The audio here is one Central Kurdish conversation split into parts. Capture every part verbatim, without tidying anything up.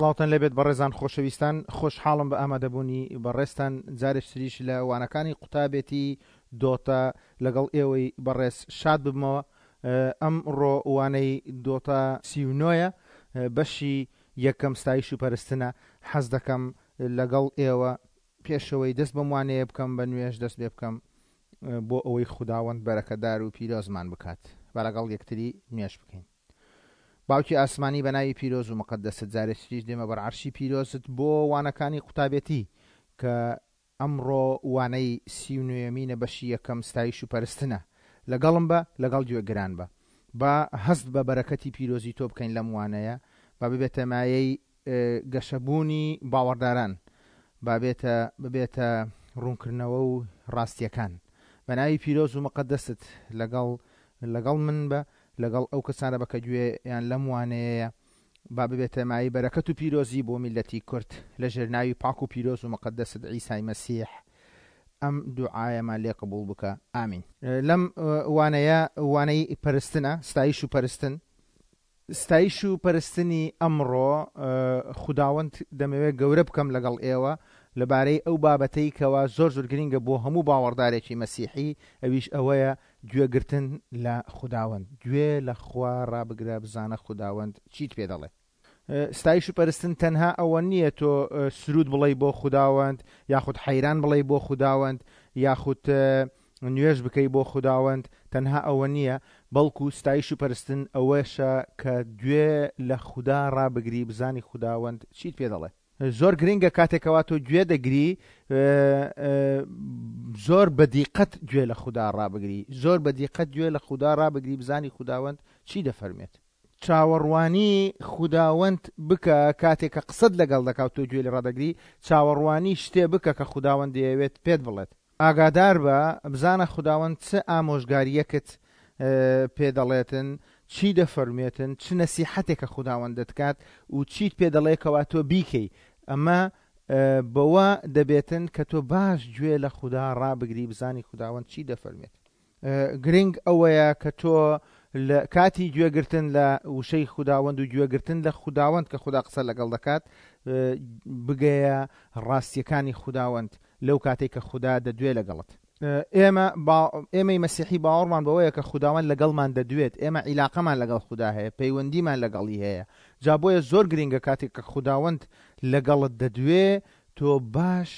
سڵاوتان لێبێت بەڕێزان خۆشەویستان، خۆشحاڵم بە ئامادەبوونی بەڕێزتان جارێکتریش لە وانەکانی قوتابێتی دۆتا لەگەڵ ئێوەی بەڕێز شاد ببمەوە. ئەمڕۆ وانەی دۆتا سی و نۆیە، بەشی یەکەم ستایش و پەرستنە. حەز دەکەم لەگەڵ ئێوە پێشەوەی دەست بەم وانەیە بکەم بە نوێژ دەست پێ بکەم بۆ ئەوەی خوداوەند بەرەکەدار و پیرۆزمان بکات. با لەگەڵ یەکتری نوێژ بکەین. باوکی ئاسمانی بە ناوی پیرۆز و مقدەست جارێکتریش دێمە بەر عەرشی پیرۆزت بۆ وانەکانی قوتابێتی کە ئەمڕۆ وانەی سی و نۆیەمینە بەشی یەکەم ستایش و پەرستنە. لەگەڵم بە، لەگەڵ گوێگران بە. با هەست بە بەرەکەتی پیرۆزی تۆ بکەین لەم وانەیە، با ببێتە مایەی گەشەبوونی باوەڕداران، با بێتە ببێتە ڕوونکردنەوە و ڕاستیەکان. بە ناوی پیرۆز و مقدەست لەگەڵ لەگەڵ من بە، لەگەڵ ئەو کەسانە بە کە گوێیان لەم وانەیەیە، با ببێتە مایەی بەرەکەت و پیرۆزی بۆ میللەتی کورد لەژێر ناوی پاک و پیرۆز و مقدەست عیسای مەسیح ئەم دوعایەمان لێ قبوڵ بکە، ئامین. لەم وانەیە وانەی پەرستنە، ستایش و پەرستن. ستایش و پەرستنی ئەمڕۆ خوداوەند دەمەوێت گەورە بکەم لەگەڵ ئێوە لەبارەی ئەو بابەتەی کەوا زۆر زۆر گرنگە بۆ هەموو باوەڕدارێکی مەسیحی، ئەویش ئەوەیە گوێگرتن لە خوداوەند. گوێ لە خوا ڕابگرە، بزانە خوداوەند چیت پێ دەڵێ. ستایش و پەرستن تەنها ئەوە نییە تۆ سرود بڵێ بۆ خوداوەند، یاخود حەیران بڵێ بۆ خوداوەند، یاخود نوێژ بکەی بۆ خوداوەند، تەنها ئەوە نییە، بەڵکو ستایش و پەرستن ئەوەشە کە گوێ لە خودا ڕابگری، بزانی خوداوەند چیت پێ دەڵێ. زۆر گرنگە کاتێکەوە تۆ گوێ دەگری زۆر بەدیقەت گوێ لە خودا ڕابگری، زۆر بەدیقەت گوێ لە خودا ڕابگری، بزانی خوداوەند چی دەفەرمێت. چاوەڕوانی خوداوەند بکە کاتێک کە قسەت لەگەڵ دەکات تۆ گوێ لێ ڕادەگری، چاوەڕوانی شتێ بکە کە خوداوەند دەیەوێت پێت بڵێت. ئاگادار بە، بزانە خوداوەند چ ئامۆژگاریەکت پێ دەڵێتن، چی دەفەرمێتن، چ نەسیحەتێکە خوداوەند دەتکات و چیت پێ دەڵێ کەوا تۆ بیکەی. ئەمە بەوە دەبێتن کە تۆ باش گوێ لە خودا ڕابگری، بزانی خوداوەند چی دەفەرمێت. گرنگ ئەوەیە کە تۆ لە کاتی گوێگرتن لە وشەی خوداوەند و گوێگرتن لە خوداوەند کە خودا قسە لەگەڵ دەکات بگەیە ڕاستیەکانی خوداوەند لەو کاتێک کە خودا دەدوێ لەگەڵت. ئێمە ئێمەی مەسیحی باوەڕمان بەوەیە کە خوداوەند لەگەڵمان دەدوێت، ئێمە عیلاقەمان لەگەڵ خودا هەیە، پەیوەندیمان لەگەڵی هەیە. جا بۆیە زۆر گرنگە کاتێک کە خوداوەند لەگەڵت دەدوێ تۆ باش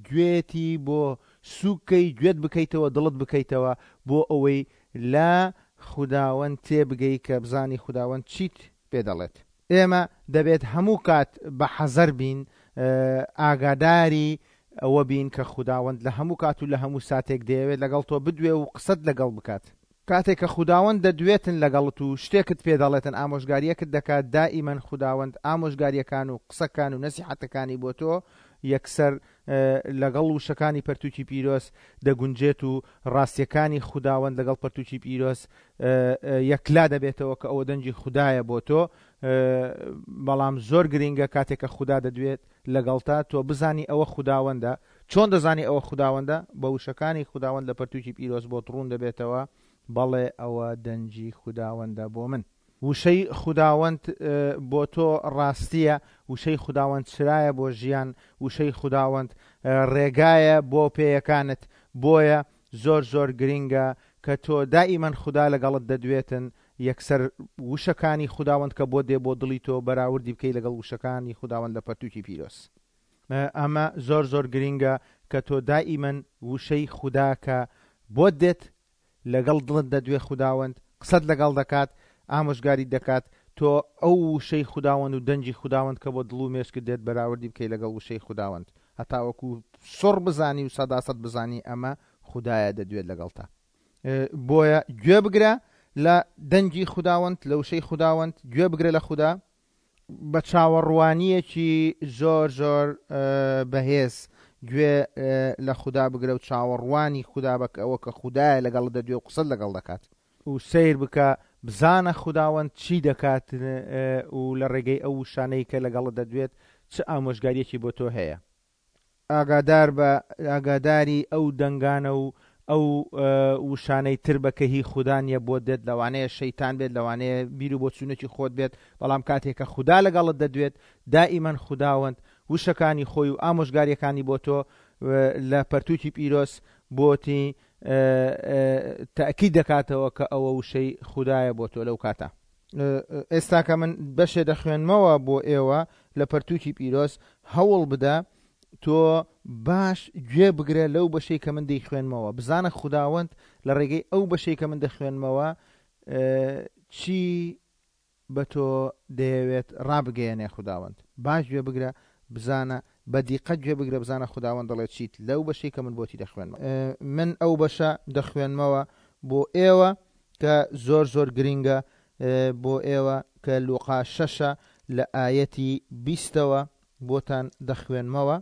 گوێتی بۆ سووکەی گوێت بکەیتەوە، دڵت بکەیتەوە بۆ ئەوەی لە خوداوەند تێبگەی کە بزانی خوداوەند چیت پێ دەڵێت. ئێمە دەبێت هەموو کات بە حەزەر بین، ئاگاداری ئەوە بین کە خوداوەند لە هەموو کات و لە هەموو ساتێک دەیەوێت لەگەڵ تۆ بدوێ و قسەت لەگەڵ بکات. کاتێک کە خوداوەند دەدوێتن لەگەڵت و شتێکت پێ دەڵێتن، ئامۆژگاریەکت دەکات، دائیمەن خوداوەند ئامۆژگاریەکان و قسەکان و نەسیحەتەکانی بۆ تۆ یەکسەر لەگەڵ وشەکانی پەرتوکی پیرۆز دەگونجێت و ڕاستیەکانی خوداوەند لەگەڵ پەرتوکی پیرۆز یەکلا دەبێتەوە کە ئەوە دەنگی خودایە بۆ تۆ. بەڵام زۆر گرنگە کاتێک کە خودا دەدوێت لەگەڵتا تۆ بزانی ئەوە خوداوەندە. چۆن دەزانی ئەوە خوداوەندە؟ بە وشەکانی خوداوەند لە پەرتوکی پیرۆز بۆ ڕوون دەبێتەوە، بەڵێ ئەوە دەنگی خوداوەندە بۆ من. وشەی خوداوەند بۆ تۆ ڕاستیە، وشەی خوداوەند چرایە بۆ ژیان، وشەی خوداوەند ڕێگایە بۆ پێیەکانت. بۆیە زۆر زۆر گرنگە کە تۆ دائیمەن خودا لەگەڵت دەدوێتن، یەکسەر وشەکانی خوداوەند کە بۆ دێ بۆ دڵی تۆ بەراوردی بکەی لەگەڵ وشەکانی خوداوەند لە پەرتوکی پیرۆز. ئەمە زۆر زۆر گرنگە کە تۆ دائیمەن وشەی خودا کە بۆت دێت لەگەڵ دڵت دەدوێ، خوداوەند قسەت لەگەڵ دەکات، ئامۆژگاری دەکات، تۆ ئەو وشەی خوداوەند و دەنگی خوداوەند کە بۆ دڵ و مێشکت دێت بەراوردی بکەی لەگەڵ وشەی خوداوەند، هەتاوەکو سڕ بزانی و سەداسەد بزانی ئەمە خودایە دەدوێت لەگەڵتا. بۆیە گوێ بگرە لە دەنگی خوداوەند، لە وشەی خوداوەند گوێ بگرە لە خودا بە چاوەڕوانیەکی زۆر زۆر بەهێز گوێ لە خودا بگرە و چاوەڕوانی خودا بکە ئەوە کە خودایە لەگەڵ دەدوێ و قسەت لەگەڵ دەکات و سەیر بکە بزانە خوداوەند چی دەکات و لە ڕێگەی ئەو وشانەی کە لەگەڵ دەدوێت چ ئامۆژگاریەکی بۆ تۆ هەیە. ئاگادار بە، ئاگاداری ئەو دەنگانە و ئەو وشانەی تر بە کە هی خودا نییە بۆ دێت، لەوانەیە شەیتان بێت، لەوانەیە بیر و بۆچوونێکی خۆت بێت، بەڵام کاتێک کە خودا لەگەڵت دەدوێت دائیمەن خوداوەند وشەکانی خۆی و ئامۆژگاریەکانی بۆ تۆ لە پەرتووکی پیرۆز بۆتی تەئکید دەکاتەوە کە ئەوە وشەی خودایە بۆ تۆ لەو کاتە. ئێستا کە من بەشێ دەخوێنمەوە بۆ ئێوە لە پەرتووکی پیرۆز، هەوڵ بدە تۆ باش گوێ بگرە لەو بەشەی کە من دەیخوێنمەوە، بزانە خوداوەند لە ڕێگەی ئەو بەشەی کە من دەخوێنمەوە چی بە تۆ دەیەوێت ڕابگەیەنێ. خوداوەند باش گوێ بگرە، بزانە بە دیقەت گوێ بگرە، بزانە خوداوەند دەڵێت چیت لەو بەشەی کە من بۆتی دەخوێنمەوە. من ئەو بەشە دەخوێنمەوە بۆ ئێوە کە زۆر زۆر گرنگە بۆ ئێوە، کە لوقا شەشە لە ئایەتی بیستەوە بۆتان دەخوێنمەوە.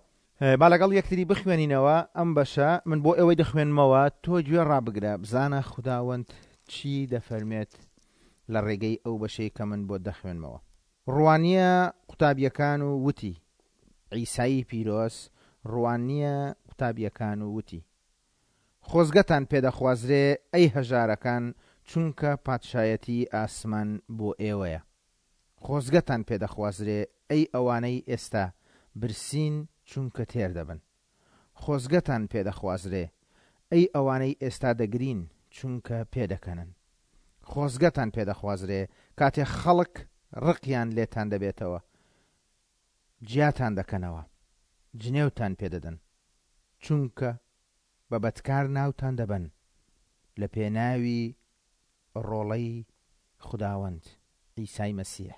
با لەگەڵ یەکتری بخوێنینەوە ئەم بەشە، من بۆ ئێوەی دەخوێنمەوە، تۆ گوێ ڕابگرە بزانە خوداوەند چی دەفەرمێت لە ڕێگەی ئەو بەشەی کە من بۆ دەخوێنمەوە. ڕوانیە قوتابیەکان و وتی، عیسایی پیرۆز ڕوانیە قوتابیەکان و وتی، خۆزگەتان پێدەخوازرێ ئەی هەژارەکان، چونکە پادشایەتی ئاسمان بۆ ئێوەیە. خۆزگەتان پێدەخوازرێ ئەی ئەوانەی ئێستا برسین، چونکە تێر دەبن. خۆزگەتان پێدەخوازرێ ئەی ئەوانەی ئێستا دەگرین، چونکە پێدەکەنن. خۆزگەتان پێدەخوازرێ کاتێ خەڵک ڕقیان لێتان دەبێتەوە، جیاتان دەکەنەوە، جنێوتان پێدەدەن، چونکە بە بەدکار ناوتان دەبەن لە پێناوی ڕۆڵەی خوداوەند عیسای مەسیح.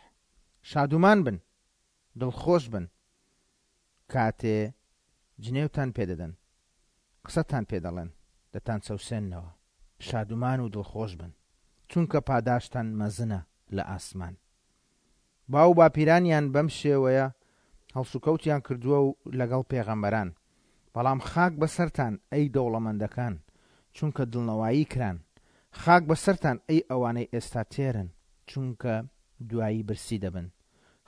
شادومان بن، دڵخۆش بن کاتێ جنێوتان پێدەدەن، قسەتان پێدەڵێن، دەتان چەوسێننەوە. شادومان و دڵخۆش بن، چونکە پاداشتان مەزنە لە ئاسمان. باو باپیرانیان بەم شێوەیە هەڵسوکەوتیان کردووە و لەگەڵ پێغەمبەران. بەڵام خاک بەسەرتان ئەی دەوڵەمەندەکان، چونکە دڵنەوایی کران. خاک بەسەرتان ئەی ئەوانەی ئێستا تێرن، چونکە دوایی برسی دەبن.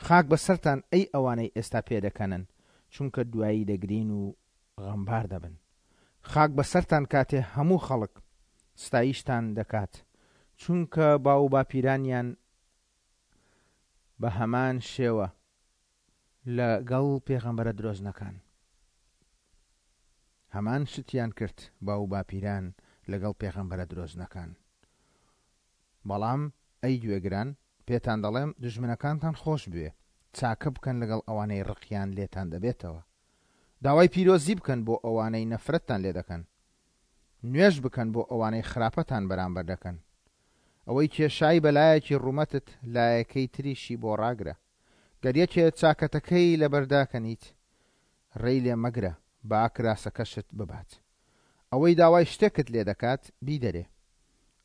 خاک بەسەرتان ئەی ئەوانەی ئێستا پێدەکەنن، چونکە دوایی دەگرین و غەمبار دەبن. خاک بەسەرتان کاتێ هەموو خەڵک ستایشتان دەکات، چونکە باو باپیرانیان بە هەمان شێوە لەگەڵ پێغەمبەرە درۆزنەکان هەمان شتیان کرد، باو باپیران لەگەڵ پێغەمبەرە درۆزنەکان. بەڵام ئەی گوێگران، پێتان دەڵێم دوژمنەکانتان خۆش بوێ، چاکە بکەن لەگەڵ ئەوانەی ڕقیان لێتان دەبێتەوە، داوای پیرۆزی بکەن بۆ ئەوانەی نەفرەتتان لێ دەکەن، نوێژ بکەن بۆ ئەوانەی خراپەتان بەرامبەر دەکەن. ئەوەی کێشای بەلایەکی ڕوومەتت لایەکەی تریشی بۆ ڕاگرە. گەر یەکێ چاکەتەکەی لەبەرداکەنیت، ڕێی لێ مەگرە، با کراسەکەشت ببات. ئەوەی داوای شتێکت لێ دەکات بیدەرێ،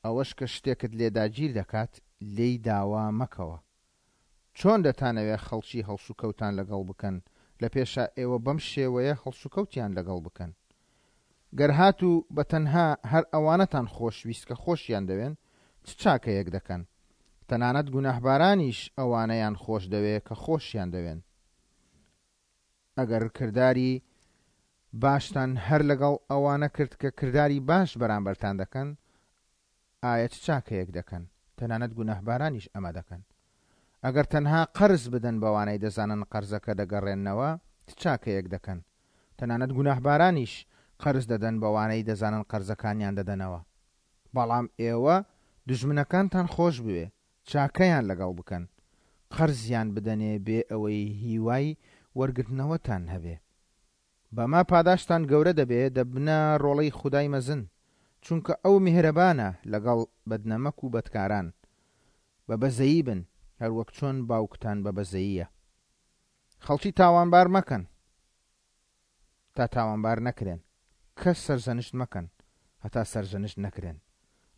ئەوەش کە شتێکت لێداگیر دەکات لێی داوا مەکەوە. چۆن دەتانەوێ خەڵکی هەڵسوکەوتان لەگەڵ بکەن، لە پێشا ئێوە بەم شێوەیە هەڵسوکەوتیان لەگەڵ بکەن. گەر هاتوو بە تەنها هەر ئەوانەتان خۆشویست کە خۆشیان دەوێن، چ چاکەیەک دەکەن؟ تەنانەت گوناهبارانیش ئەوانەیان خۆش دەوێ کە خۆشیان دەوێن. ئەگەر کرداری باشتان هەر لەگەڵ ئەوانە کرد کە کرداری باش بەرامبەرتان دەکەن، ئایا چ چاکەیەک دەکەن؟ تەنانەت گوناهبارانیش ئەمە دەکەن. ئەگەر تەنها قەرز بدەن بەوانەی دەزانن قەرزەکە دەگەڕێننەوە، چ چاکەیەک دەکەن؟ تەنانەت گوناهبارانیش قەرز دەدەن بەوانەی دەزانن قەرزەکانیان دەدەنەوە. بەڵام ئێوە دوژمنەکانتان خۆش بوێ، چاکەیان لەگەڵ بکەن، قەرزیان بدەنێ بێ ئەوەی هیوای وەرگرتنەوەتان هەبێ. بەما پاداشتان گەورە دەبێ، دەبنە ڕۆڵەی خودای مەزن، چونکە ئەو میهرەبانە لەگەڵ بەدنەمەک و بەدکاران. بە بەزەیی بن، هەروەک چۆن باوکتان بە بەزەییە. خەڵکی تاوانبار مەکەن تا تاوانبار نەکرێن، کەس سەرزەنشت مەکەن هەتا سەرزەنشت نەکرێن.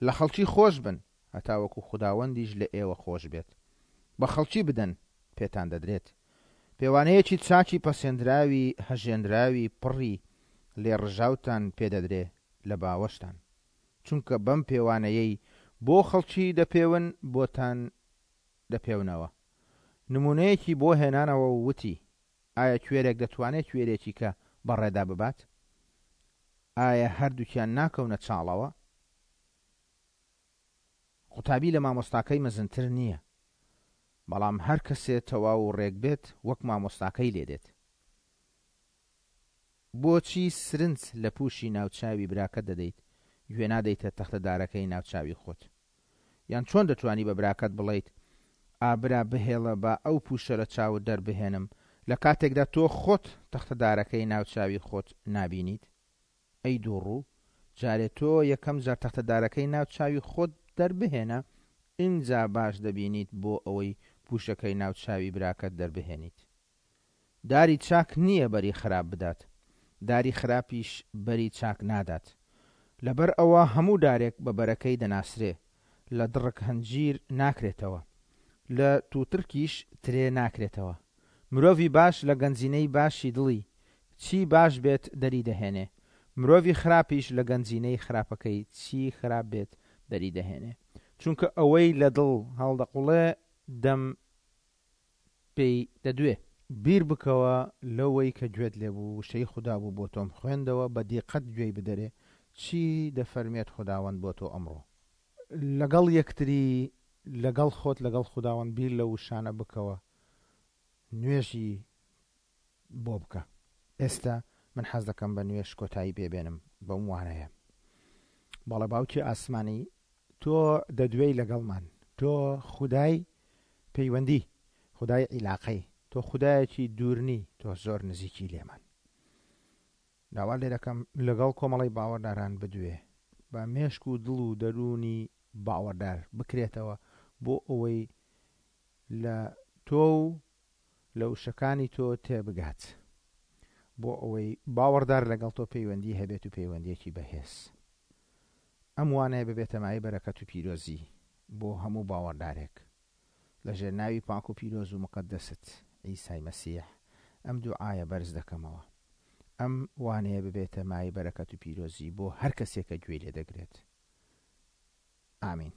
لە خەڵکی خۆش بن هەتا وەکو خوداوەندیش لە ئێوە خۆش بێت. بە خەڵکی بدەن پێتان دەدرێت. پێوانەیەکی چاکی پەسێندراوی هەژێنراوی پڕی لێڕژاوتان پێدەدرێ لە باوەشتان، چونکە بەم پێوانەیەی بۆ خەڵکی دەپێون بۆتان دەپێونەوە. نمونەیەکی بۆ هێنانەوە وتی، ئایا کوێرێک دەتوانێت کوێرێکی کە بەڕێدا ببات؟ ئایا هەردووکیان ناکەونە چاڵەوە؟ قوتابی لە مامۆستاکەی مەزنتر نییە، بەڵام هەر کەسێ تەواو و ڕێک بێت وەک مامۆستاکەی لێدێت. بۆچی سرنج لە پووشی ناوچاوی براکەت دەدەیت، گوێ نادەیتە تەختەدارەکەی ناوچاوی خۆت؟ یان چۆن دەتوانی بە براکەت بڵێیت ئابرا بهێڵە با ئەو پووشە لە چاوت دەربهێنم، لە کاتێکدا تۆ خۆت تەختەدارەکەی ناوچاوی خۆت نابینیت؟ ئەی دووڕوو، جارێ تۆ یەکەم جار تەختەدارەکەی ناوچاوی خۆت دەربهێنە، ئینجا باش دەبینیت بۆ ئەوەی پووشەکەی ناوچاوی براکەت دەربهێنیت. داری چاک نییە بەری خراپ بدات، داری خراپیش بەری چاک نادات. لەبەر ئەوە هەموو دارێک بە بەرەکەی دەناسرێ، لە دڕک هەنجیر ناکرێتەوە، لە تووترکیش ترێ ناکرێتەوە. مرۆڤی باش لە گەنجینەی باشی دڵی چی باش بێت دەری دەهێنێ، مرۆڤی خراپیش لە گەنجینەی خراپەکەی چی خراپ بێت دەری دەهێنێ. چونکە ئەوەی لە دڵ هەڵدەقوڵێ دەم پێی دەدوێ. بیر بکەوە لەوەی کە گوێت لێبوو، وشەی خودا بوو بۆ تۆم خوێندەوە، بە دیقەت گوێی بدەرێ چی دەفەرمێت خوداوەند بۆ تۆ ئەمڕۆ. لەگەڵ یەکتری، لەگەڵ خۆت، لەگەڵ خوداوەند بیر لە وشانە بکەوە، نوێژی بۆ بکە. ئێستا من حەز دەکەم بە نوێژ کۆتایی پێبێنم بەم وانەیە. بەڵێ باوکی ئاسمانی، تۆ دەدوێی لەگەڵمان، تۆ خودای پەیوەندی، خودای عیلاقەی، تۆ خودایەکی دوورنی، تۆ زۆر نزیکی لێمان. داوا لێ دەکەم لەگەڵ کۆمەڵی باوەڕداران بدوێ، بە مێشک و دڵ و دەروونی باوەڕدار بکرێتەوە بۆ ئەوەی لە تۆ و لە وشەکانی تۆ تێبگات، بۆ ئەوەی باوەڕدار لەگەڵ تۆ پەیوەندی هەبێت و پەیوەندیەکی بەهێز. ئەم وانەیە ببێتە مایەی بەرەکەت و پیرۆزی بۆ هەموو باوەڕدارێک. لەژێر ناوی پاک و پیرۆز و مقەدەست عیسای مەسیح ئەم دوعایە بەرز دەکەمەوە. ئەم وانەیە ببێتە مایەی بەرەکەت و پیرۆزی بۆ هەر کەسێک کە گوێی لێ دەگرێت. ئامین.